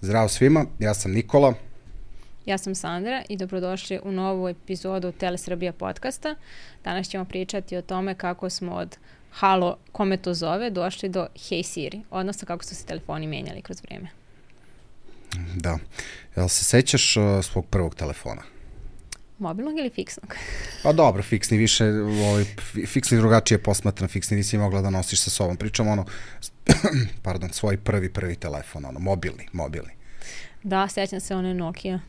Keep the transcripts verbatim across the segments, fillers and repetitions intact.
Zdravo svima, ja sam Nikola. Ja sam Sandra i dobrodošli u novu epizodu Telesrbija podcasta. Danas ćemo pričati o tome kako smo od halo, kome to zove, došli do Hey Siri, odnosno kako su se telefoni menjali kroz vrijeme. Da. Jel se sećaš uh, svog prvog telefona? Mobilnog ili fiksnog? Pa dobro, fiksni više, ovaj, fiksni drugačije posmatran, fiksni nisi mogla da nosiš sa sobom. Pričamo ono, pardon, svoj prvi, prvi telefon, ono, mobilni, mobilni. Da, sećam se one Nokia,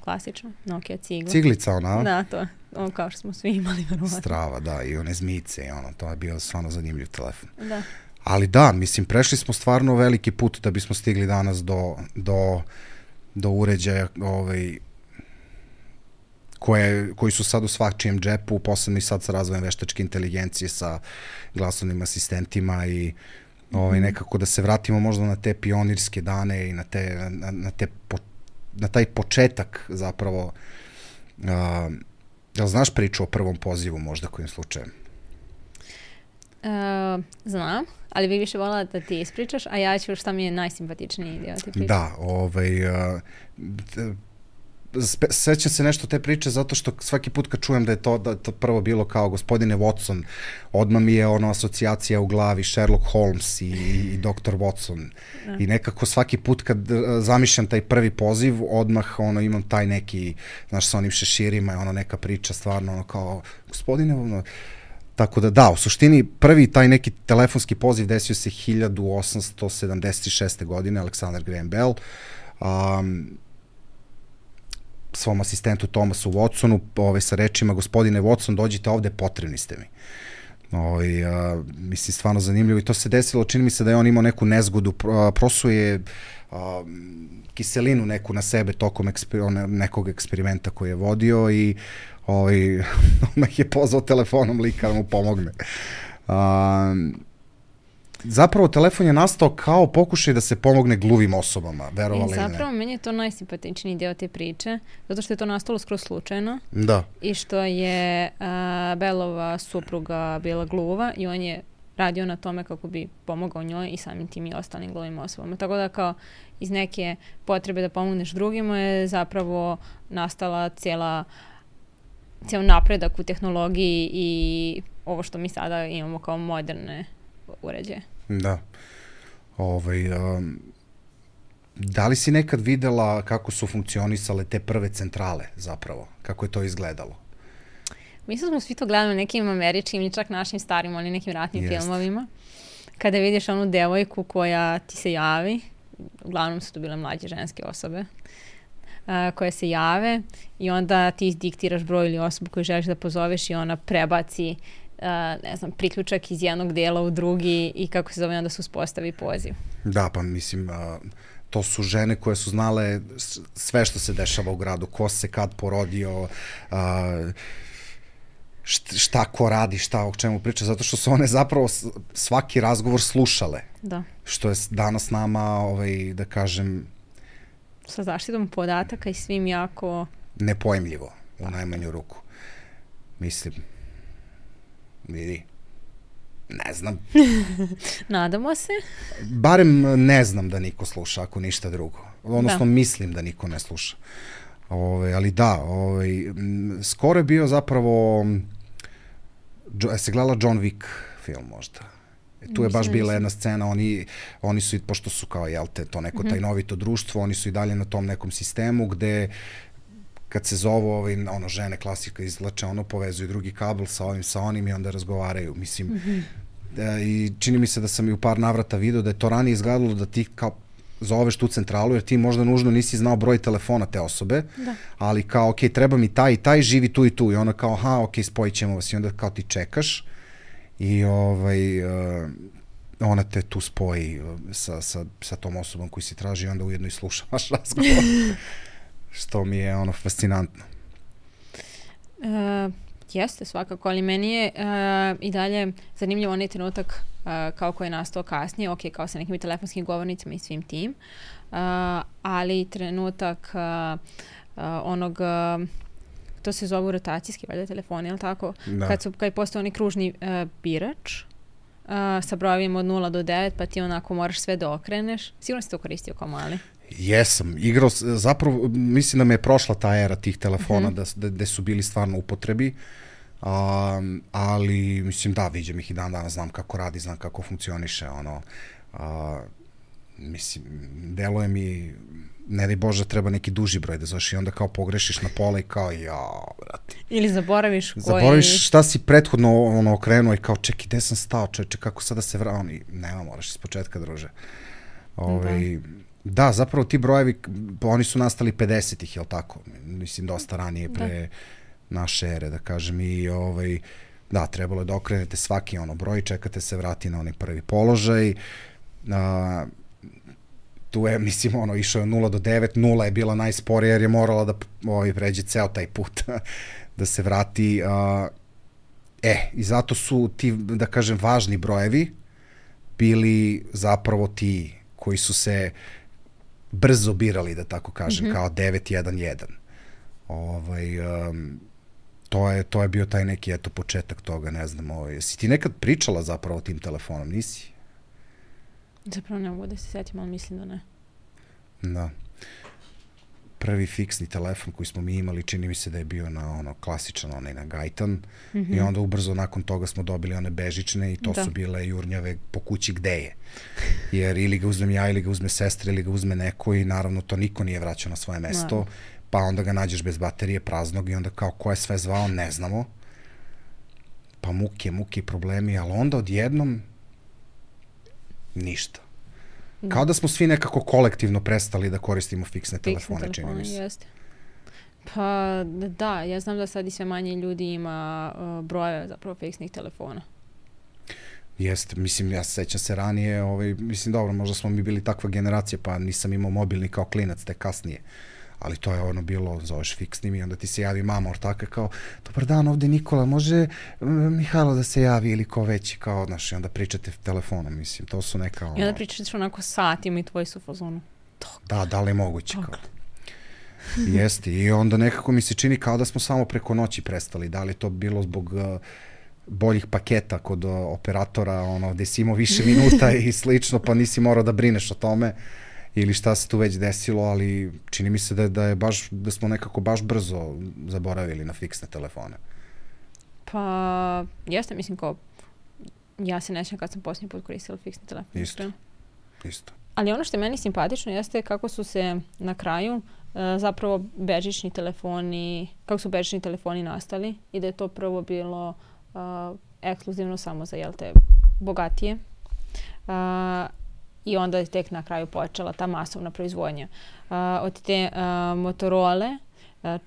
klasično, Nokia cigla. Ciglica ona, a? Da, to, ono kao što smo svi imali, verovatno. Strava, da, i one zmice, i ono, to je bio stvarno zanimljiv telefon. Da. Ali da, mislim, prešli smo stvarno veliki put da bismo stigli danas do, do, do uređaja, ovaj, koje, koji su sad u svačijem džepu, posebno i sad sa razvojem veštačke inteligencije, sa glasovnim asistentima i ovaj, nekako da se vratimo možda na te pionirske dane i na, te, na, na, te po, na taj početak zapravo. Uh, jel znaš priču o prvom pozivu možda kojim slučajem? Uh, znam, ali bi više voljela da ti ispričaš, a ja ću šta mi je najsimpatičniji dio ti priča. Da, ovaj... Uh, sećam se nešto te priče zato što svaki put kad čujem da je to, da je to prvo bilo kao gospodine Watson, odmah mi je ono asocijacija u glavi Sherlock Holmes i, i doktor Watson. Da. I nekako svaki put kad zamišljam taj prvi poziv, odmah ono imam taj neki, znaš, sa onim šeširima, ono neka priča stvarno ono kao gospodine, ono, tako da da, u suštini prvi taj neki telefonski poziv desio se hiljadu osamsto sedamdeset šeste. godine, Alexander Graham Bell. Um, svom asistentu Thomasu Watsonu, ove, sa rečima, gospodine Watson, dođite ovde, potrebni ste mi. Ove, a, mislim, stvarno zanimljivo. I to se desilo, čini mi se da je on imao neku nezgodu, a, prosuje a, kiselinu neku na sebe tokom eksper, nekog eksperimenta koji je vodio i ovaj, odmah je pozvao telefonom lika da mu pomogne. A, Zapravo, telefon je nastao kao pokušaj da se pomogne gluvim osobama, verovali ili ne. Zapravo, meni je to najsimpatičniji deo te priče, zato što je to nastalo skroz slučajno. Da. I što je uh, Bellova supruga bila gluva i on je radio na tome kako bi pomogao njoj i samim tim i ostalim gluvim osobama. Tako da kao iz neke potrebe da pomogneš drugima je zapravo nastala cijela, cijel napredak u tehnologiji i ovo što mi sada imamo kao moderne uređaje. Da. Ovaj, um, da li si nekad videla kako su funkcionisale te prve centrale zapravo? Kako je to izgledalo? Mislim smo svi to gledali nekim američkim ili čak našim starim, ali nekim ratnim Jest. filmovima. Kada vidiš onu devojku koja ti se javi, uglavnom su to bile mlađe ženske osobe, uh, koje se jave i onda ti izdiktiraš broj ili osobu koju želiš da pozoveš i ona prebaci Uh, ne znam, priključak iz jednog dela u drugi i kako se zove onda se uspostavi poziv. Da, pa mislim, uh, to su žene koje su znale sve što se dešava u gradu, ko se kad porodio, uh, šta ko radi, šta o čemu priča, zato što su one zapravo svaki razgovor slušale. Da. Što je danas nama, ovaj, da kažem... Sa zaštitom podataka i svim jako... nepojmljivo, u najmanju ruku. Mislim... vidi, ne znam. Nadamo se. Barem ne znam da niko sluša, ako ništa drugo. Odnosno, da. mislim da niko ne sluša. Ove, ali da, ove, skoro je bio zapravo, je se gledala John Wick film možda. E, tu je baš bila jedna scena, oni, oni su, pošto su kao, jel te, to neko mm-hmm. tajnovito društvo, oni su i dalje na tom nekom sistemu gde kad se zovu ovaj, ono, žene klasika izvlače, ono, povezuju drugi kabel sa ovim, sa onim i onda razgovaraju. Mislim, mm-hmm. e, i čini mi se da sam i u par navrata vidio da je to ranije izgledalo da ti kao zoveš tu centralu, jer ti možda nužno nisi znao broj telefona te osobe, da. Ali kao, ok, treba mi taj i taj, živi tu i tu. I ona kao, aha, ok, spojit ćemo vas. I onda kao ti čekaš i ovaj, uh, ona te tu spoji sa, sa, sa tom osobom koju si traži i onda ujedno i slušaš razgovor. Što mi je ono fascinantno. Uh, jeste svakako, ali meni je uh, i dalje zanimljivo onaj trenutak uh, kao koji je nastao kasnije, ok, kao sa nekim telefonskim govornicama i svim tim, uh, ali trenutak uh, uh, onog, uh, to se zove rotacijski valjda telefoni, ili tako? Da. Kad su, kad je postao onaj kružni uh, birač, uh, sa brojevima od nula do devet, pa ti onako moraš sve da okreneš. Sigurno si to koristio kao mali. Jesam, igrao, zapravo mislim da me je prošla ta era tih telefona, mm -hmm. da, da su bili stvarno u upotrebi, um, ali mislim da, viđem ih i dan danas, znam kako radi, znam kako funkcioniše, ono, uh, mislim, deluje mi, ne daj Bože, treba neki duži broj da zoveš i onda kao pogrešiš na pola i kao, jao, brate. Ili zaboraviš koji... Zaboraviš šta si prethodno ono, okrenuo i kao, čekaj, gde sam stao, čeče, kako sada se vrao, i nema, moraš iz početka, druže. Ove, da. da, zapravo ti brojevi, oni su nastali pedesetih, jel tako? Mislim, dosta ranije pre da. naše ere, da kažem, i ovaj, da, trebalo je da okrenete svaki ono broj, čekate se vrati na onaj prvi položaj, a, tu je, mislim, ono, išao je nula do devet, nula je bila najsporija jer je morala da ovaj, pređe ceo taj put da se vrati. A, e, i zato su ti, da kažem, važni brojevi bili zapravo ti koji su se brzo birali, da tako kažem, mm -hmm. kao devet jedan jedan. Ovaj, um, to, je, to je bio taj neki, eto, početak toga, ne znam. Ovaj. Si ti nekad pričala zapravo o tim telefonom, nisi? Zapravo ne mogu da se sjetim, ali mislim da ne. Da. Prvi fiksni telefon koji smo mi imali, čini mi se da je bio na ono klasičan, onaj na gajtan, mm -hmm. i onda ubrzo nakon toga smo dobili one bežične i to da. su bile jurnjave po kući gde je. Jer ili ga uzmem ja, ili ga uzme sestra, ili ga uzme neko i naravno to niko nije vraćao na svoje mesto, no. pa onda ga nađeš bez baterije, praznog i onda kao ko je sve zvao, ne znamo. Pa muke, muke i problemi, ali onda odjednom ništa. Kao da smo svi nekako kolektivno prestali da koristimo fiksne, fiksne telefone, telefone, čini mi se. Jeste. Pa da, ja znam da sad i sve manje ljudi ima uh, brojeve zapravo fiksnih telefona. Jeste, mislim, ja sećam se ranije, ovaj, mislim, dobro, možda smo mi bili takva generacija, pa nisam imao mobilni kao klinac, te kasnije. Ali to je ono bilo, zoveš fiksnim i onda ti se javi mama ortaka kao, dobar dan, ovde Nikola, može Mihajlo da se javi ili ko veći, kao, znaš, i onda pričate telefonom, mislim, to su neka... Ono... I onda pričate onako satima i tvoji su u fazonu. Da, da li je moguće, kao. Jeste, i onda nekako mi se čini kao da smo samo preko noći prestali, da li to bilo zbog uh, boljih paketa kod uh, operatora, ono, gde si imao više minuta i slično, pa nisi morao da brineš o tome, ili šta se tu već desilo, ali čini mi se da, da je baš, da smo nekako baš brzo zaboravili na fiksne telefone. Pa, jeste, mislim, kao, ja se nećem kad sam posljednji put koristila fiksni telefon. Isto, isto. Ali ono što je meni simpatično jeste kako su se na kraju uh, zapravo bežični telefoni, kako su bežični telefoni nastali i da je to prvo bilo uh, ekskluzivno samo za, jel te, bogatije. Uh, I onda je tek na kraju počela ta masovna proizvodnja. Uh, od te uh, Motorola uh,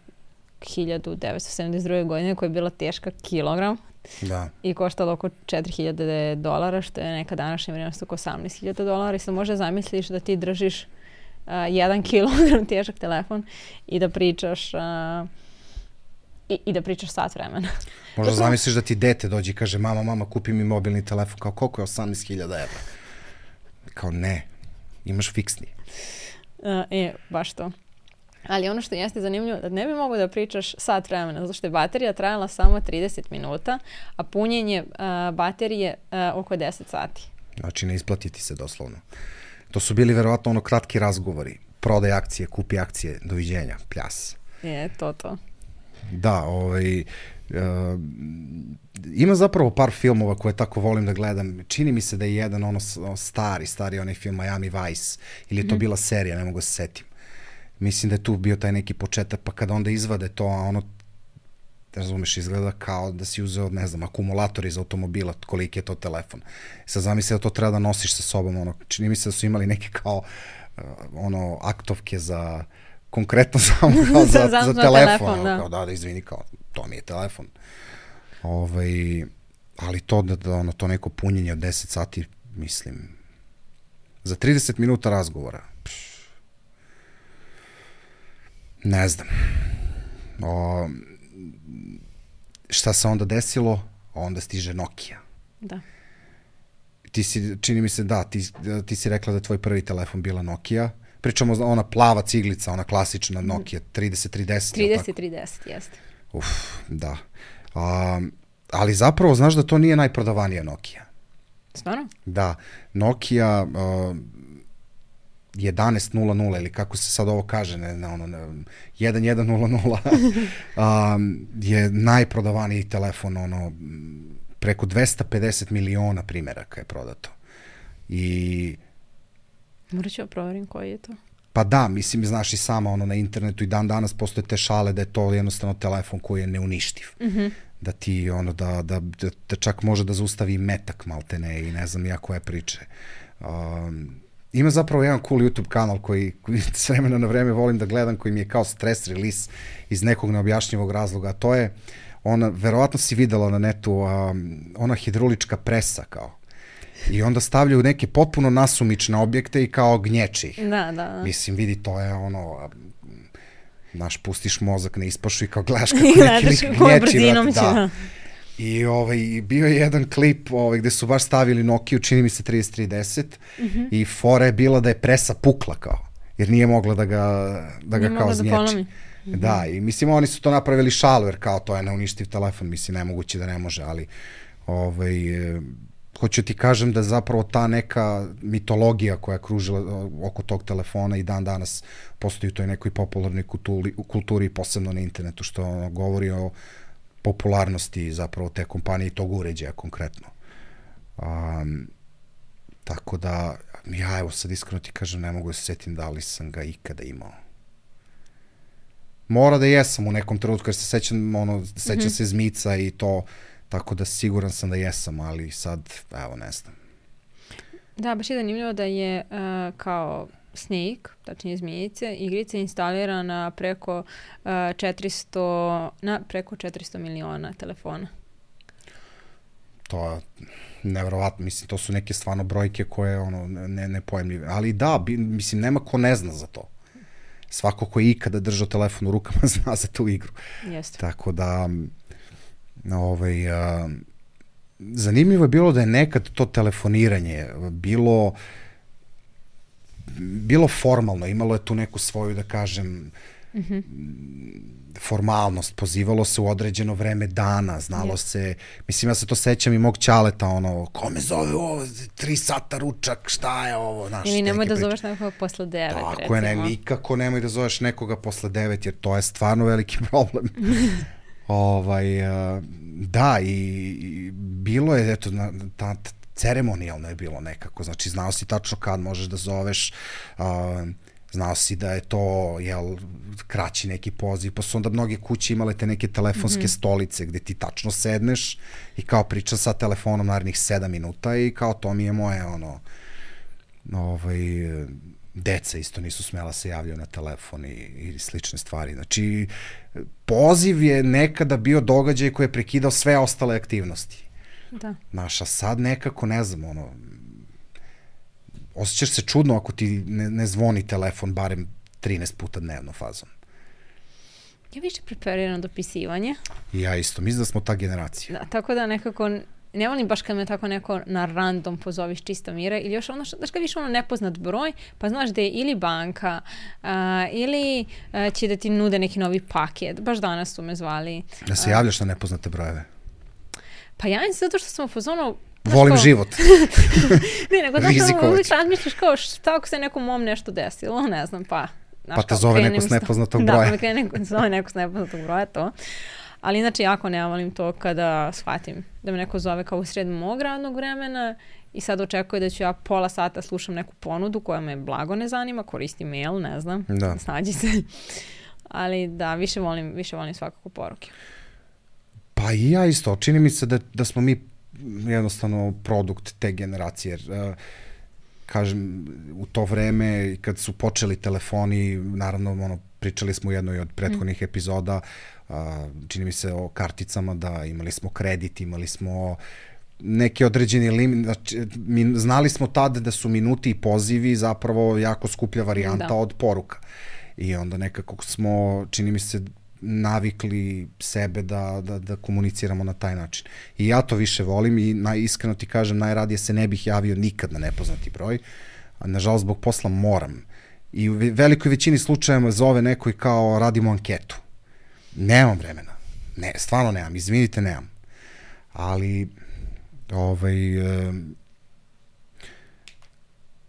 hiljadu devetsto sedamdeset druge godine koja je bila teška kilogram da. i koštala oko četiri hiljade dolara, što je neka današnja vrijednost oko osamnaest hiljada dolara. I sad možda zamisliš da ti držiš uh, jedan kilogram težak telefon i da pričaš uh, i, i da pričaš sat vremena. Možda zamisliš da ti dete dođe i kaže mama, mama, kupi mi mobilni telefon, kao koliko je osamnaest hiljada evra? Kao ne, imaš fiksni. Uh, e, baš to. Ali ono što jeste zanimljivo, da ne bi mogo da pričaš sat vremena, zato što je baterija trajala samo trideset minuta, a punjenje uh, baterije uh, oko deset sati. Znači ne isplati ti se doslovno. To su bili verovatno ono kratki razgovori. Prodaj akcije, kupi akcije, doviđenja, pljas. Je, to to. Da, ovaj... Uh, ima zapravo par filmova koje tako volim da gledam. Čini mi se da je jedan ono stari, stari onaj film Miami Vice, ili je to mm-hmm. bila serija, ne mogu se setim. Mislim da je tu bio taj neki početak, pa kada onda izvade to, a ono, razumeš, izgleda kao da si uzeo, ne znam, akumulator iz automobila, koliki je to telefon. Sad zamisli da to treba da nosiš sa sobom, ono, čini mi se da su imali neke kao, uh, ono, aktovke za, konkretno samo kao za, za, za telefon. telefon da. Kao, da, da, izvini, kao, to mi je telefon. Ovaj, ali to da, da ono, to neko punjenje od deset sati, mislim, za trideset minuta razgovora. Pš, ne znam. O, šta se onda desilo? Onda stiže Nokia. Da. Ti si, čini mi se, da, ti, ti si rekla da je tvoj prvi telefon bila Nokia. Pričamo ona plava ciglica, ona klasična Nokia trideset tri deset. trideset tri deset, jeste. Uf, da. A, ali zapravo, znaš da to nije najprodavanija Nokia. Stvarno? Da. Nokia, uh, jedanaest nula nula ili kako se sad ovo kaže, ne, ne, ono, ne, jedan jedan nula nula um, je najprodavaniji telefon, ono, preko dvesta pedeset miliona primjeraka je prodato. I... Morat ću ja proverim koji je to. Pa da, mislim, znaš i sama, ono, na internetu i dan danas postoje te šale da je to jednostavno telefon koji je neuništiv. Mm-hmm. Da ti, ono, da, da, da, da čak može da zaustavi metak maltene i ne znam ja koje priče. Um, ima zapravo jedan cool YouTube kanal koji, koji s vremena na vreme volim da gledam, koji mi je kao stres release iz nekog neobjašnjivog razloga. To je, ona, verovatno si videla na netu, um, ona hidrolička presa kao. I onda stavljaju neke potpuno nasumične objekte i kao gnječi ih. Da, da, da. Mislim, vidi, to je ono, znaš, pustiš mozak na ispašu i kao gledaš kako neki lik gnječi. Vrat, da. I ovaj, bio je jedan klip ovaj, gde su baš stavili Nokiju, čini mi se trideset tri deset, mm-hmm. i fora je bila da je presa pukla kao, jer nije mogla da ga, da ga kao znječi. Da, mm-hmm. da, i mislim, oni su to napravili šalu, jer kao to je neuništiv telefon, mislim, nemoguće da ne može, ali ovaj... hoću ti kažem da zapravo ta neka mitologija koja je kružila oko tog telefona i dan danas postoji u toj nekoj popularnoj kulturi, kulturi posebno na internetu, što ono, govori o popularnosti zapravo te kompanije i tog uređaja konkretno. Um, tako da, ja evo sad iskreno ti kažem, ne mogu da se setim da li sam ga ikada imao. Mora da jesam u nekom trenutku, jer se sećam, ono, sećam mm-hmm. se Zmica i to. Tako da siguran sam da jesam, ali sad, evo, ne znam. Da, baš je zanimljivo da je uh, kao Snake, tačnije Zmijice, igrica instalirana preko uh, četiristo, na preko četiristo miliona telefona. To je nevjerovatno, mislim, to su neke stvarno brojke koje, ono, ne, nepojemljive. Ali da, bi, mislim, nema ko ne zna za to. Svako ko je ikada držao telefon u rukama zna za tu igru. Jeste. Tako da... Ovaj, a, zanimljivo je bilo da je nekad to telefoniranje bilo bilo formalno, imalo je tu neku svoju, da kažem, mm-hmm. formalnost, pozivalo se u određeno vreme dana, znalo yes. se, mislim, ja se to sećam i mog ćaleta, ono, ko me zove ovo, tri sata ručak, šta je ovo, znaš. Ili nemoj da priče. Zoveš nekoga posle devet, Tako recimo. Je, ne, nikako nemoj da zoveš nekoga posle devet, jer to je stvarno veliki problem. Ovaj, da, i, i bilo je, eto, na, ta, ta, ceremonijalno je bilo nekako, znači znao si tačno kad možeš da zoveš, uh, znao si da je to, jel, kraći neki poziv, pa su onda mnoge kuće imale te neke telefonske mm-hmm. stolice gde ti tačno sedneš i kao pričam sa telefonom narednih sedam minuta i kao to mi je moje, ono, ovaj, deca isto nisu smela se javljaju na telefon i, i slične stvari. Znači, poziv je nekada bio događaj koji je prekidao sve ostale aktivnosti. Da. Znaš, a sad nekako, ne znam, ono, osjećaš se čudno ako ti ne, ne zvoni telefon barem trinaest puta dnevno fazom. Ja više preferiram dopisivanje. I ja isto, mislim da smo ta generacija. Da, tako da nekako... Ne volim baš kad me tako neko na random pozoviš čista mira ili još ono, znaš kad viš ono nepoznat broj, pa znaš da je ili banka uh, ili uh, će da ti nude neki novi paket. Baš danas su me zvali. Da se javljaš na nepoznate brojeve? Pa javim se zato što sam u fazonu... Volim kao... život. ne, nego da sam uvijek razmišljaš kao šta ako se nekom mom nešto desilo, ne znam, pa... Znaš, pa te zove neko s nepoznatog broja. Da, pa me krene neko, zove neko s nepoznatog broja, to. Ali inače jako ne volim to kada shvatim da me neko zove kao u sred mog radnog vremena i sad očekuje da ću ja pola sata slušam neku ponudu koja me blago ne zanima, koristim mail, ne znam, da. Snađi se. Ali da, više volim, više volim svakako poruke. Pa i ja isto, čini mi se da, da smo mi jednostavno produkt te generacije, jer uh, kažem, u to vreme kad su počeli telefoni, naravno ono, pričali smo u jednoj od prethodnih mm. epizoda, uh, čini mi se o karticama, da imali smo kredit, imali smo neki određeni limit, znači, mi, znali smo tada da su minuti i pozivi zapravo jako skuplja varijanta da. Od poruka. I onda nekako smo, čini mi se, navikli sebe da, da, da komuniciramo na taj način. I ja to više volim i naj, iskreno ti kažem, najradije se ne bih javio nikad na nepoznati broj. A nažalost, zbog posla moram. I u velikoj većini slučajeva zove neko i kao radimo anketu. Nemam vremena. Ne, stvarno nemam. Izvinite, nemam. Ali ovaj, e,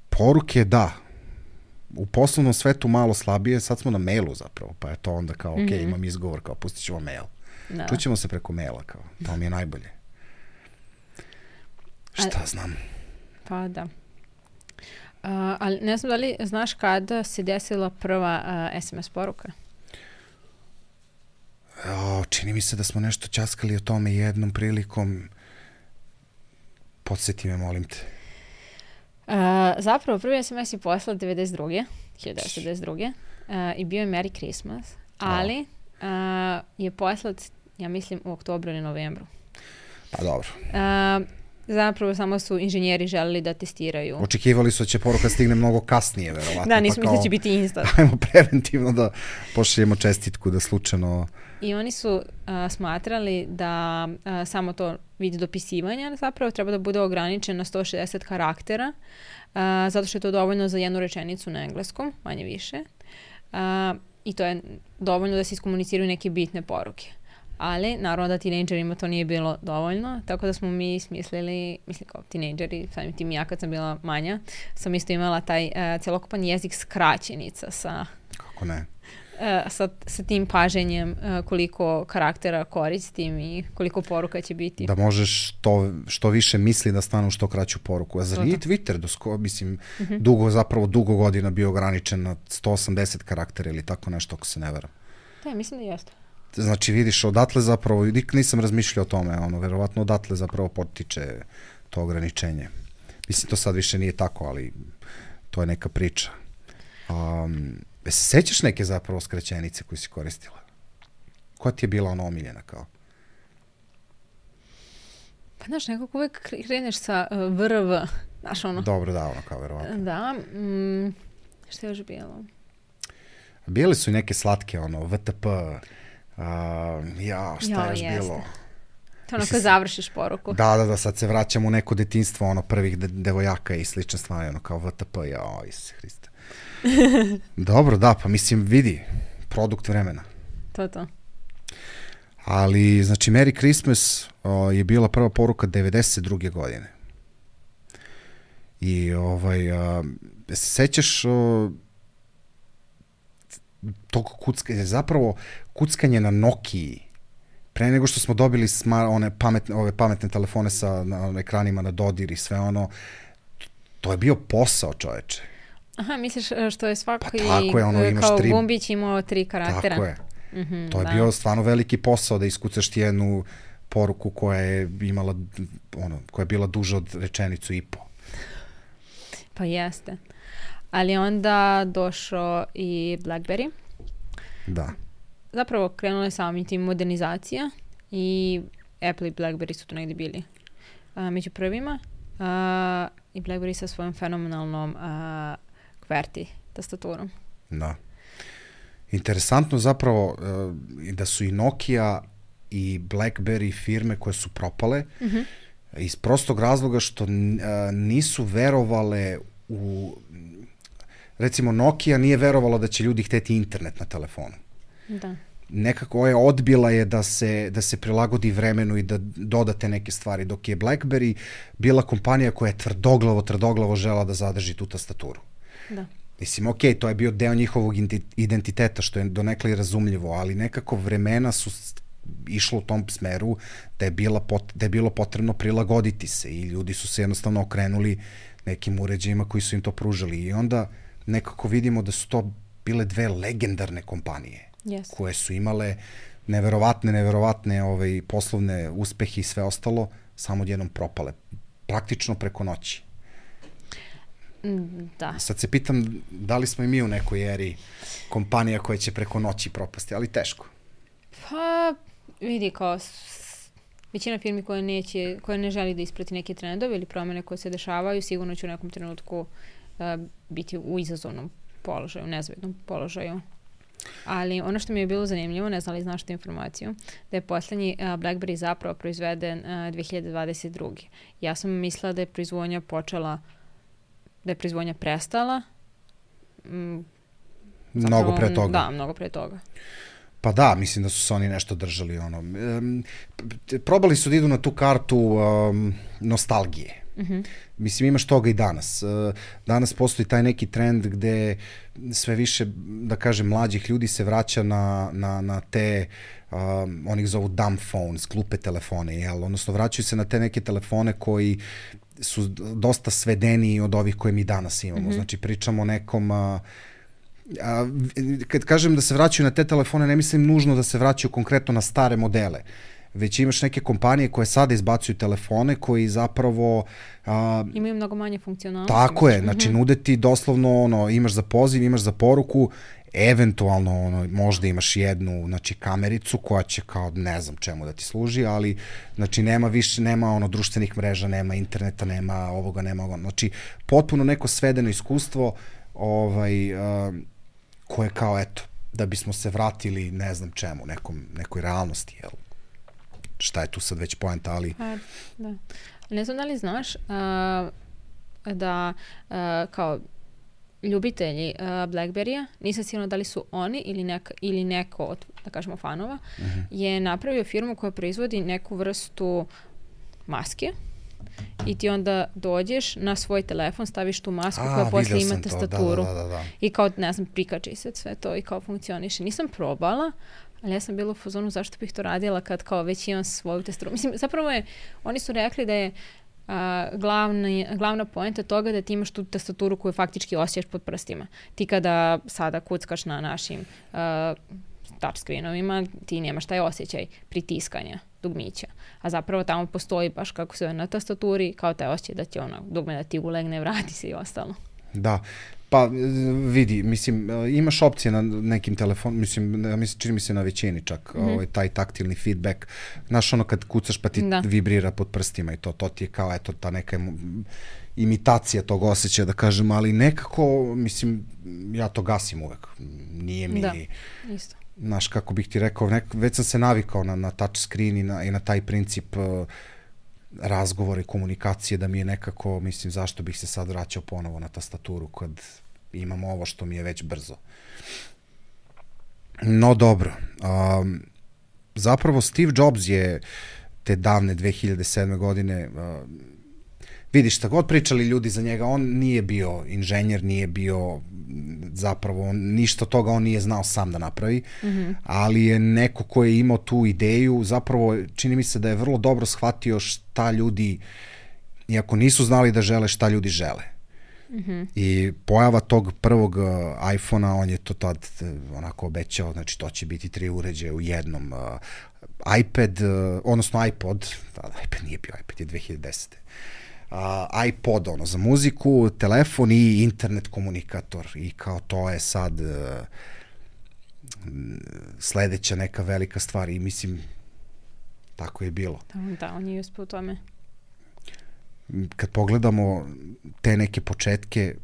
poruke da. u poslovnom svetu malo slabije, sad smo na mailu zapravo, pa je to onda kao, ok, mm-hmm. imam izgovor, kao pustit ćemo mail. Da. Čućemo se preko maila, kao, to mi je najbolje. Šta A, znam? Pa da. Uh, ali ne znam da li znaš kada se desila prva uh, es em es poruka? O, čini mi se da smo nešto ćaskali o tome jednom prilikom. Podsjeti me, molim te. Uh, zapravo, prvi es em es je poslao devedeset druge hiljadu devetsto devedeset druge Uh, i bio je Merry Christmas, ali uh, je poslat, ja mislim, u oktobru ili novembru. Pa dobro. Uh, zapravo samo su inženjeri želeli da testiraju. Očekivali su da će poruka stigne mnogo kasnije, verovatno. Da, nismo pa kao, mislili će biti instant. Ajmo preventivno da pošaljemo čestitku, da slučajno... I oni su uh, smatrali da uh, samo to vid dopisivanja zapravo treba da bude ograničen na sto šezdeset karaktera, uh, zato što je to dovoljno za jednu rečenicu na engleskom, manje više. Uh, I to je dovoljno da se iskomuniciraju neke bitne poruke. Ali, naravno da tinejdžerima to nije bilo dovoljno, tako da smo mi smislili, mislim kao tinejdžeri, samim tim ja kad sam bila manja, sam isto imala taj uh, celokupan jezik skraćenica sa... Kako ne? Uh, sa, sa tim paženjem uh, koliko karaktera koristim i koliko poruka će biti. Da možeš to, što više misli da stanu što kraću poruku. A zar nije Twitter, dosko, mislim, uh-huh. dugo, zapravo dugo godina bio ograničen na sto osamdeset karaktera ili tako nešto, ako se ne veram. Da, mislim da jeste. Znači, vidiš, odatle zapravo, nisam razmišljao o tome, ono, verovatno odatle zapravo potiče to ograničenje. Mislim, to sad više nije tako, ali to je neka priča. Um, se sećaš neke zapravo skraćenice koju si koristila? Koja ti je bila ona omiljena kao? Pa znaš, nekako uvek kreneš sa uh, V R V. Znaš ono? Dobro, da, ono kao verovatno. Da. Mm, šta je još bilo? Bile su i neke slatke, ono, V T P, uh, ja, šta jo, još jeste. bilo? To ono kad završiš poruku. Da, da, da, sad se vraćamo u neko detinjstvo, ono, prvih de- devojaka i slične stvari, ono, kao V T P, jao, Isuse Hriste. Dobro, da, pa mislim, vidi, produkt vremena. To to. Ali, znači, Merry Christmas o, je bila prva poruka devedeset druge godine. I, ovaj, a, se sećaš o, tog kuckanja, zapravo kuckanje na Nokiji, pre nego što smo dobili smar, one pametne, ove pametne telefone sa na, ekranima na dodir i sve ono, to je bio posao, čoveče. Aha, misliš što je svaki pa tako je, ono, imaš kao tri... gumbić imao tri karaktera? Tako je. Mm-hmm, to je da. bio stvarno veliki posao da iskucaš ti jednu poruku koja je imala, ono, koja je bila duža od rečenicu i po. Pa jeste. Ali onda došao i BlackBerry. Da. Zapravo krenula je samim tim modernizacija i Apple i BlackBerry su tu negdje bili a, među prvima. A, I BlackBerry sa svojom fenomenalnom a, QWERTY tastaturom. Da. Interesantno zapravo uh, da su i Nokia i BlackBerry firme koje su propale mm-hmm. iz prostog razloga što uh, nisu verovale u... Recimo, Nokia nije verovala da će ljudi hteti internet na telefonu. Da. Nekako je odbila je da se, da se prilagodi vremenu i da dodate neke stvari, dok je BlackBerry bila kompanija koja je tvrdoglavo, tvrdoglavo žela da zadrži tu tastaturu. Da. Mislim, ok, to je bio deo njihovog identiteta, što je donekle i razumljivo, ali nekako vremena su išlo u tom smeru da je, bila pot, da je bilo potrebno prilagoditi se i ljudi su se jednostavno okrenuli nekim uređajima koji su im to pružali. I onda nekako vidimo da su to bile dve legendarne kompanije yes. koje su imale neverovatne, neverovatne ovaj, poslovne uspehe i sve ostalo, samo odjednom propale. Praktično preko noći. Da. Sad se pitam da li smo i mi u nekoj eri kompanija koja će preko noći propasti, ali teško. Pa, vidi, kao s, većina firmi koje, neće, koje ne želi da isprati neke trendove ili promene koje se dešavaju, sigurno će u nekom trenutku uh, biti u izazovnom položaju, nezvednom položaju. Ali ono što mi je bilo zanimljivo, ne znam li znaš tu informaciju, da je poslednji uh, BlackBerry zapravo proizveden uh, dve hiljade dvadeset druge. Ja sam mislila da je proizvodnja počela da je proizvodnja prestala. Mm, mnogo pre toga. Da, mnogo pre toga. Pa da, mislim da su se oni nešto držali. Ono. Um, probali su da idu na tu kartu um, nostalgije. Mm-hmm. Mislim, imaš toga i danas. Danas postoji taj neki trend gde sve više, da kažem, mlađih ljudi se vraća na, na, na te, um, oni ih zovu dumb phones, glupe telefone, jel? Odnosno, vraćaju se na te neke telefone koji su dosta svedeniji od ovih koje mi danas imamo. Mm-hmm. Znači, pričamo o nekom... A, a, kad kažem da se vraćaju na te telefone, ne mislim nužno da se vraćaju konkretno na stare modele, već imaš neke kompanije koje sada izbacuju telefone koji zapravo... A, imaju mnogo manje funkcionalnosti. Tako je, znači nude ti doslovno, ono, imaš za poziv, imaš za poruku, eventualno ono, možda imaš jednu, znači, kamericu koja će kao ne znam čemu da ti služi, ali znači nema više, nema ono društvenih mreža, nema interneta, nema ovoga, nema ovoga. Znači, potpuno neko svedeno iskustvo ovaj, a, koje kao, eto, da bismo se vratili ne znam čemu, nekom, nekoj realnosti, jel? Šta je tu sad već poenta, ali... Pa, da. Ne znam da li znaš uh, da uh, kao ljubitelji uh, Blackberry-a, nisam sigurna da li su oni ili, neka, ili neko od, da kažemo, fanova, uh-huh. je napravio firmu koja proizvodi neku vrstu maske i ti onda dođeš na svoj telefon, staviš tu masku A, koja posle ima tastaturu. Da, da, da, da. I kao, ne znam, prikači se sve to i kao funkcioniše. Nisam probala, ali ja sam bila u fazonu zašto bih to radila kad kao već imam svoju tastaturu. Mislim, zapravo je, oni su rekli da je a, glavni, glavna poenta toga da ti imaš tu tastaturu koju faktički osjećaš pod prstima. Ti kada sada kuckaš na našim a, touchscreenovima, ti nemaš taj osjećaj pritiskanja dugmića. A zapravo tamo postoji baš kako se na tastaturi, kao taj osjećaj da će ono dugme da ti ulegne, vrati se i ostalo. Da. Pa vidi, mislim, imaš opcije na nekim telefonima, mislim, mislim, čini mi se na većini čak, mm-hmm. ovaj, taj taktilni feedback. Znaš, ono kad kucaš pa ti da. vibrira pod prstima i to, to ti je kao, eto, ta neka imitacija tog osjećaja, da kažem, ali nekako, mislim, ja to gasim uvek. Nije mi... Da, isto. Znaš, kako bih ti rekao, nek, već sam se navikao na, na touch screen i na, i na taj princip uh, razgovore, komunikacije, da mi je nekako, mislim, zašto bih se sad vraćao ponovo na tastaturu kad imam ovo što mi je već brzo. No dobro, um, zapravo Steve Jobs je te davne dve hiljade sedme godine, uh, vidiš, šta god pričali ljudi za njega, on nije bio inženjer, nije bio zapravo, on, ništa toga on nije znao sam da napravi, mm-hmm. ali je neko ko je imao tu ideju, zapravo čini mi se da je vrlo dobro shvatio šta ljudi, iako nisu znali da žele, šta ljudi žele. Mm-hmm. I pojava tog prvog uh, iPhone-a, on je to tad uh, onako obećao, znači to će biti tri uređaja u jednom. Uh, iPad, uh, odnosno iPod, tada iPad nije bio, iPad je dve hiljade desete. Uh, iPod, ono, za muziku, telefon i internet komunikator. I kao to je sad uh, sledeća neka velika stvar. I mislim, tako je bilo. Da, da, on je uspio u tome. Kad pogledamo te neke početke,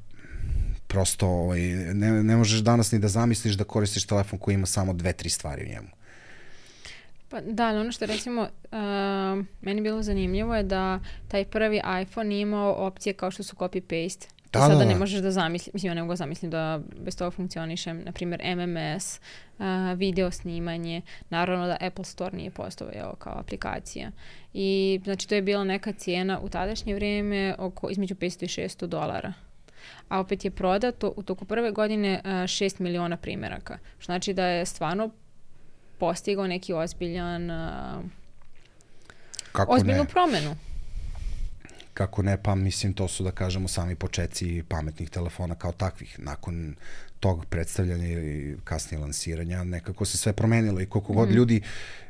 prosto ovaj, ne, ne možeš danas ni da zamisliš da koristiš telefon koji ima samo dve, tri stvari u njemu. Pa da, ali ono što recimo uh, meni bilo zanimljivo je da taj prvi iPhone nije imao opcije kao što su copy-paste. Da, sada da, da. ne možeš da zamisliš, mislim ja ne mogu zamislim da bez toga funkcionišem, na primjer M M S, uh, video snimanje, naravno da Apple Store nije postojao kao aplikacija. I znači to je bila neka cijena u tadašnje vrijeme oko između petsto i šesto dolara. A opet je prodato u toku prve godine uh, šest miliona primjeraka. Što znači da je stvarno postigao neki ozbiljan uh, Kako ozbiljnu ne? promenu. Kako ne, pa mislim to su da kažemo sami početci pametnih telefona kao takvih. Nakon tog predstavljanja i kasnije lansiranja nekako se sve promenilo i koliko god mm. ljudi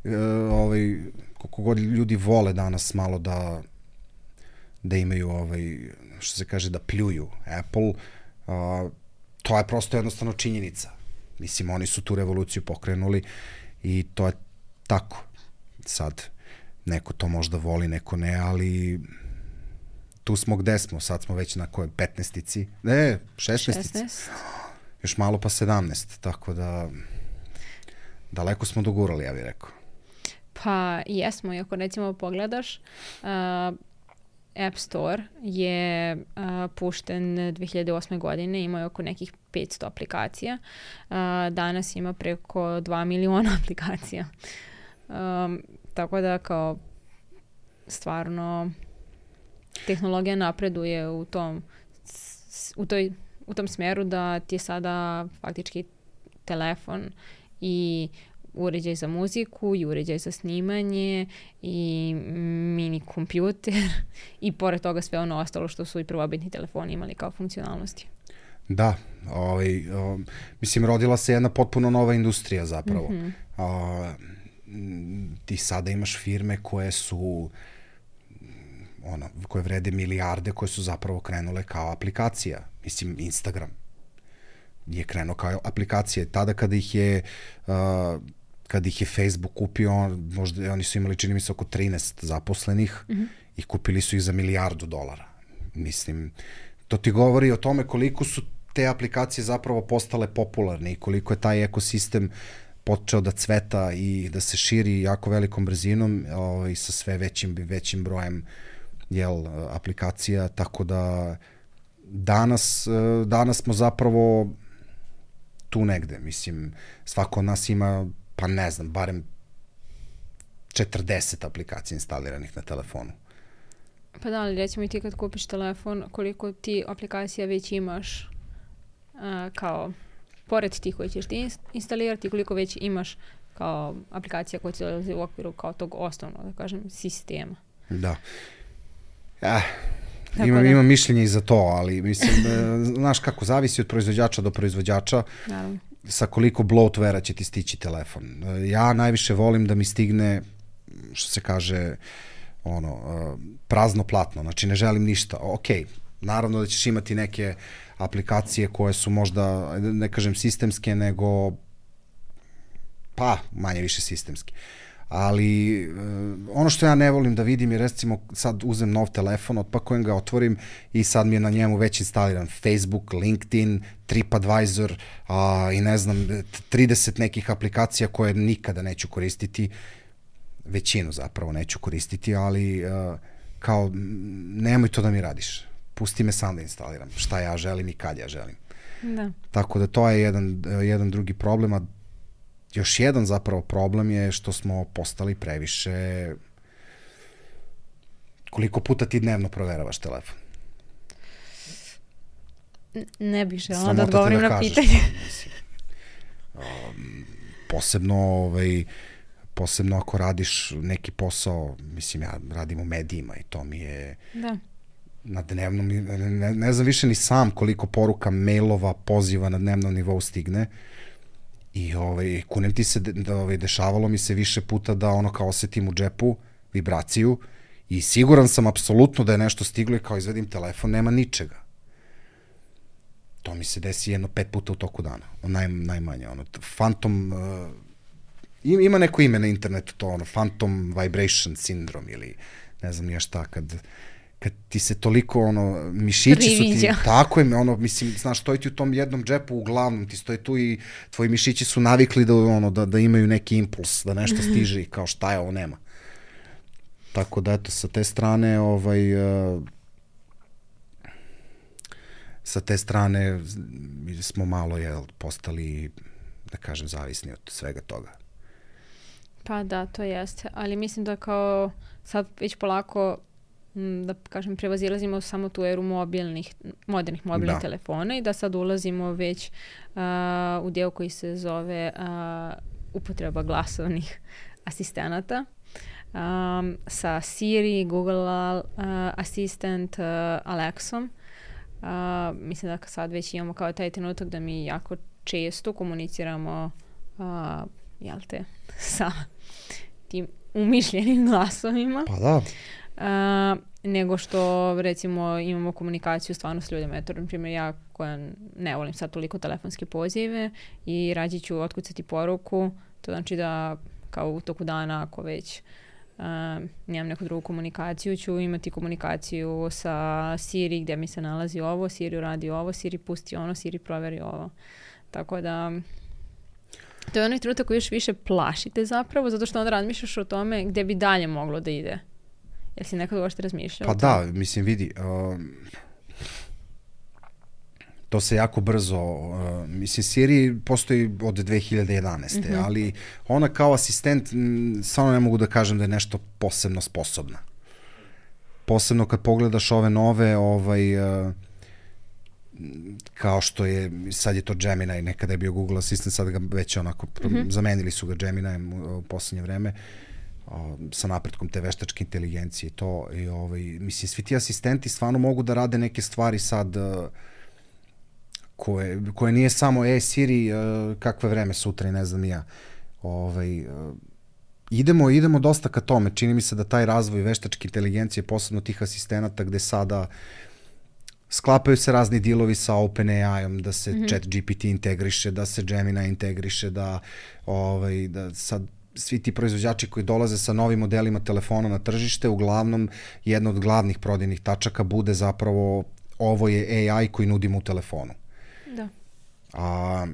uh, ovaj, koliko god ljudi vole danas malo da da imaju ovaj, što se kaže da pljuju Apple, uh, to je prosto jednostavno činjenica. Mislim, oni su tu revoluciju pokrenuli i to je tako. Sad, neko to možda voli, neko ne, ali tu smo gde smo, sad smo već na kojoj petnaestici, ne, šesnaestici. šesnaest. Još malo pa sedamnaest, tako da daleko smo dogurali, ja bih rekao. Pa jesmo, i ako recimo pogledaš, uh, App Store je uh, pušten dve hiljade osme godine, imao je oko nekih petsto aplikacija. Uh, danas ima preko dva miliona aplikacija. Um, tako da kao stvarno tehnologija napreduje u tom, u toj, u tom smeru da ti je sada faktički telefon i uređaj za muziku i uređaj za snimanje i mini kompjuter i pored toga sve ono ostalo što su i prvobitni telefoni imali kao funkcionalnosti. Da, ovaj, o, mislim, rodila se jedna potpuno nova industrija zapravo. Mm-hmm. A, ti sada imaš firme koje su ono, koje vrede milijarde, koje su zapravo krenule kao aplikacija. Mislim, Instagram je krenuo kao aplikacija. Tada kada ih je uh, kada ih je Facebook kupio, možda oni su imali, čini mi se, oko trinaest zaposlenih mm-hmm. i kupili su ih za milijardu dolara. Mislim, to ti govori o tome koliko su te aplikacije zapravo postale popularne i koliko je taj ekosistem počeo da cveta i da se širi jako velikom brzinom o, i sa sve većim, većim brojem jel, aplikacija, tako da danas, danas smo zapravo tu negde. Mislim, svako od nas ima, pa ne znam, barem četrdeset aplikacija instaliranih na telefonu. Pa da, ali recimo i ti kad kupiš telefon, koliko ti aplikacija već imaš a, kao, pored tih koji ćeš ti instalirati, koliko već imaš kao aplikacija koja će dolazi u okviru kao tog osnovnog, da kažem, sistema. Da. Eh, imam, da. imam mišljenje i za to, ali mislim, znaš kako, zavisi od proizvođača do proizvođača. Naravno. Sa koliko bloatware-a će ti stići telefon. Ja najviše volim da mi stigne, što se kaže, ono, prazno platno, znači ne želim ništa. Ok, naravno da ćeš imati neke aplikacije koje su možda, ne kažem sistemske, nego pa manje više sistemske. Ali ono što ja ne volim da vidim je, recimo, sad uzem nov telefon, otpakujem ga, otvorim i sad mi je na njemu već instaliran Facebook, LinkedIn, TripAdvisor a, i ne znam, trideset nekih aplikacija koje nikada neću koristiti, većinu zapravo neću koristiti, ali a, kao nemoj to da mi radiš. Pusti me sam da instaliram šta ja želim i kad ja želim. Da. Tako da to je jedan, jedan drugi problem, a još jedan zapravo problem je što smo postali previše... Koliko puta ti dnevno proveravaš telefon? Ne bih želala da odgovorim da na pitanje. um, posebno, ovaj, posebno ako radiš neki posao, mislim, ja radim u medijima i to mi je... Da. Na dnevnom, ne, ne znam više ni sam koliko poruka, mailova, poziva na dnevnom nivou stigne. I ovaj, kunem ti se, da, ovaj, dešavalo mi se više puta da ono kao osetim u džepu vibraciju i siguran sam apsolutno da je nešto stiglo i kao izvedim telefon, nema ničega. To mi se desi jedno pet puta u toku dana, naj, najmanje. Ono, phantom, uh, ima neko ime na internetu, to ono, phantom vibration syndrome ili ne znam nije šta, kad... kad ti se toliko, ono, mišići su ti, tako je, ono, mislim, znaš, stoji ti u tom jednom džepu, uglavnom ti stoji tu i tvoji mišići su navikli da, ono, da, da imaju neki impuls, da nešto stiže i kao šta je, ovo nema. Tako da, eto, sa te strane, ovaj, uh, sa te strane smo malo, jel, postali, da kažem, zavisni od svega toga. Pa da, to jeste, ali mislim da kao sad već polako da kažem, prevazilazimo samo tu eru mobilnih, modernih mobilnih da. telefona i da sad ulazimo već uh, u deo koji se zove uh, upotreba glasovnih asistenata um, sa Siri, Google uh, Assistant, uh, Alexom. Uh, mislim da sad već imamo kao taj trenutak da mi jako često komuniciramo uh, jel te, sa tim umišljenim glasovima. Pa da. Uh, nego što recimo imamo komunikaciju stvarno s ljudima. Eto, na primjer, ja koja ne volim sad toliko telefonske pozive i rađe ću otkucati poruku, to znači da kao u toku dana ako već uh, nemam neku drugu komunikaciju, ću imati komunikaciju sa Siri gdje mi se nalazi ovo, Siri radi ovo, Siri pusti ono, Siri proveri ovo. Tako da to je onaj trenutak koji još više plašite zapravo, zato što onda razmišljaš o tome gdje bi dalje moglo da ide. Jel si nekad uopšte razmišljao? Pa da, mislim, vidi, uh, to se jako brzo, uh, mislim, Siri postoji od dve hiljade jedanaeste. Mm-hmm. Ali ona kao asistent, stvarno ne mogu da kažem da je nešto posebno sposobna. Posebno kad pogledaš ove nove, ovaj, uh, kao što je, sad je to Gemini, nekada je bio Google Assistant, sad ga već onako, mm-hmm. zamenili su ga Gemini u, u poslednje vreme, o, sa napretkom te veštačke inteligencije i to, i ovaj, mislim, svi ti asistenti stvarno mogu da rade neke stvari sad, uh, koje, koje nije samo, e, Siri, uh, kakve vreme sutra i ne znam ja, ovaj, uh, idemo, idemo dosta ka tome, čini mi se da taj razvoj veštačke inteligencije, posebno tih asistenata gde sada sklapaju se razni dealovi sa OpenAI-om, da se mm-hmm. ChatGPT integriše, da se Gemini integriše, da, ovaj, da sad svi ti proizvođači koji dolaze sa novim modelima telefona na tržište, uglavnom jedna od glavnih prodajnih tačaka bude zapravo ovo je A I koji nudimo u telefonu. Da. A,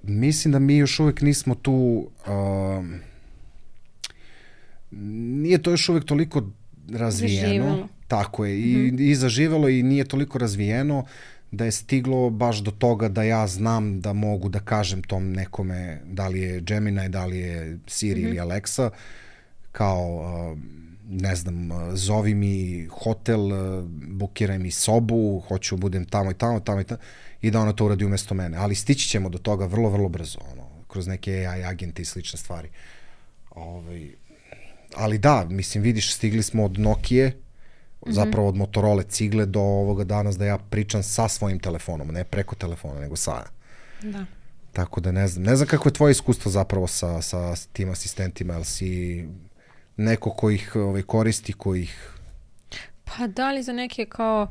mislim da mi još uvek nismo tu, a, nije to još uvek toliko razvijeno. Zaživalo. Tako je, i, mm-hmm. i zaživelo i nije toliko razvijeno da je stiglo baš do toga da ja znam da mogu da kažem tom nekome da li je Gemini, da li je Siri mm-hmm. ili Alexa, kao, ne znam, zovi mi hotel, bukiraj mi sobu, hoću budem tamo i tamo, tamo i tamo, i da ona to uradi umesto mene. Ali stići ćemo do toga vrlo, vrlo brzo, ono, kroz neke A I agente i slične stvari. Ovaj, ali da, mislim, vidiš, stigli smo od Nokije, zapravo od Motorola cigle do ovoga danas da ja pričam sa svojim telefonom, ne preko telefona, nego sa. Da. Tako da ne znam. Ne znam kako je tvoje iskustvo zapravo sa, sa tim asistentima, ali si neko ko ih ovaj, koristi, ko ih... Pa da li za neke kao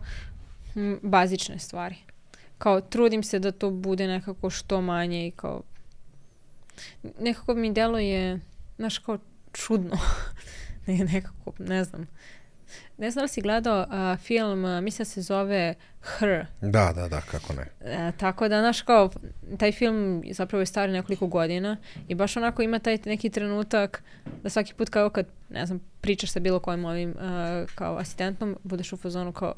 m, bazične stvari. Kao trudim se da to bude nekako što manje i kao... Nekako mi deluje, znaš, kao čudno. ne, nekako, ne znam. Ne znam da li si gledao uh, film, uh, mislim da se zove Her. Da, da, da, kako ne. Uh, tako da, znaš, kao, taj film zapravo je star nekoliko godina i baš onako ima taj neki trenutak da svaki put kao kad, ne znam, pričaš sa bilo kojim ovim uh, kao asistentom, budeš u fazonu kao...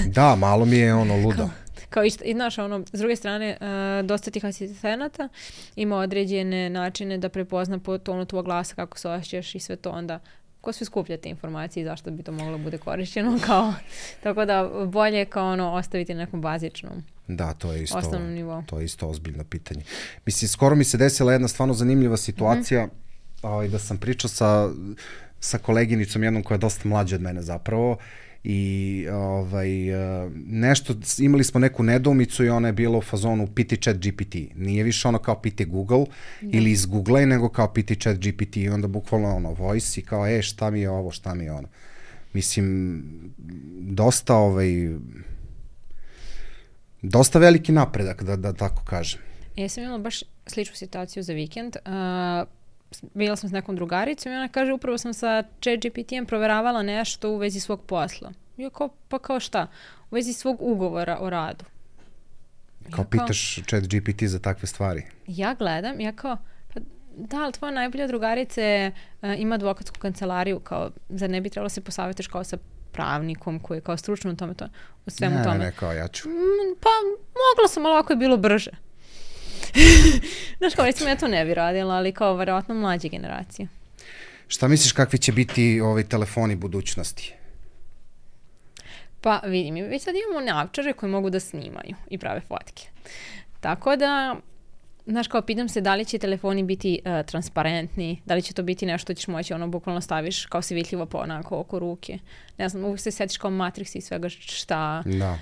Da, malo mi je ono ludo. Kao, kao i, i znaš, ono, s druge strane, uh, dosta tih asistenata ima određene načine da prepozna po tonu tvoj glasa, kako se osjećaš i sve to, onda ko sve skuplja te informacije i zašto bi to moglo bude korišćeno, kao, tako da bolje kao ono ostaviti na nekom bazičnom. Da, to je isto, osnovnom nivou. To je isto ozbiljno pitanje. Mislim, skoro mi se desila jedna stvarno zanimljiva situacija, mm-hmm. ovaj, da sam pričao sa, sa koleginicom jednom koja je dosta mlađa od mene zapravo, i ovaj, nešto, imali smo neku nedoumicu i ona je bila u fazonu piti ChatGPT. Nije više ono kao piti Google da. Ili iz Google, nego kao piti ChatGPT i onda bukvalno ono voice i kao e šta mi je ovo, šta mi je ono. Mislim, dosta ovaj, dosta veliki napredak, da, da tako kažem. Ja sam imala baš sličnu situaciju za vikend. Uh, bila sam s nekom drugaricom i ona kaže upravo sam sa ChatGPT-em proveravala nešto u vezi svog posla. Ja kao, pa kao šta? U vezi svog ugovora o radu. Kao ja pitaš kao, ChatGPT za takve stvari? Ja gledam, ja kao, pa da, ali tvoja najbolja drugarica uh, ima advokatsku kancelariju, kao, zar ne bi trebalo se posavjetiš kao sa pravnikom koji je kao stručno u tome, to, u svemu ne, tome? Ne, ne, kao ja ću. Mm, pa mogla sam, ali ovako je bilo brže. Znaš kao, recimo ja to ne bi radila, ali kao verovatno mlađe generacije. Šta misliš kakvi će biti ovi telefoni budućnosti? Pa vidim, već sad imamo navčare koji mogu da snimaju i prave fotke. Tako da, znaš kao, pitam se da li će telefoni biti uh, transparentni, da li će to biti nešto ćeš moći, ono, bukvalno staviš kao si vidljivo po onako oko ruke. Ne znam, uvijek se sjetiš kao Matrix i svega šta, da.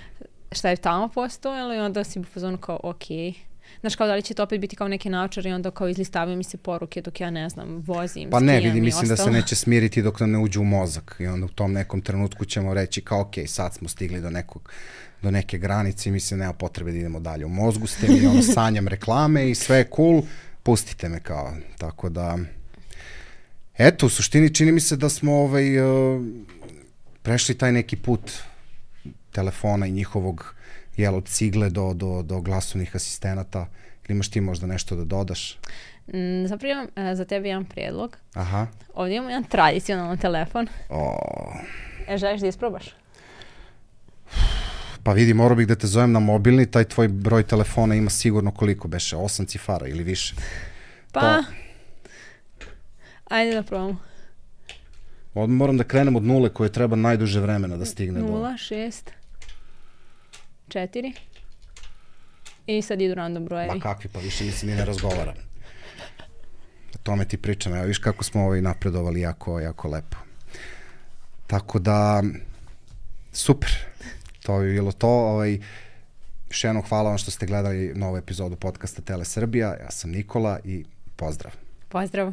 šta je tamo postojalo i onda si u fazonu kao okej. Okay. Znaš, kao da li će to opet biti kao neke naučare i onda kao izlistavaju mi se poruke dok ja ne znam, vozim, pa ne, skijam vidi, mislim ostalo. Da se neće smiriti dok nam ne uđe u mozak i onda u tom nekom trenutku ćemo reći kao ok, sad smo stigli do nekog, do neke granice i mislim nema potrebe da idemo dalje. U mozgu ste mi, ono, sanjam reklame i sve je cool, pustite me kao, tako da eto, u suštini čini mi se da smo ovaj, uh, prešli taj neki put telefona i njihovog jel, od cigle do, do, do glasovnih asistenata. Ili imaš ti možda nešto da dodaš? Mm, zapravo imam uh, za tebe jedan prijedlog. Aha. Ovdje imamo jedan tradicionalan telefon. O. E, želiš da isprobaš? Pa vidi, morao bih da te zovem na mobilni, taj tvoj broj telefona ima sigurno koliko beše, osam cifara ili više. Pa, To... ajde da probamo. Odmah moram da krenem od nule koje treba najduže vremena da stigne. Nula, šest, četiri. I sad idu random brojevi. Ma kakvi, pa više mislim i ne razgovaram. O tome ti pričam, evo viš kako smo ovaj napredovali jako, jako lepo. Tako da, super, to bi bilo to. Ovaj, još jednom hvala vam što ste gledali novu epizodu podcasta Tele Srbija. Ja sam Nikola i pozdrav. Pozdrav.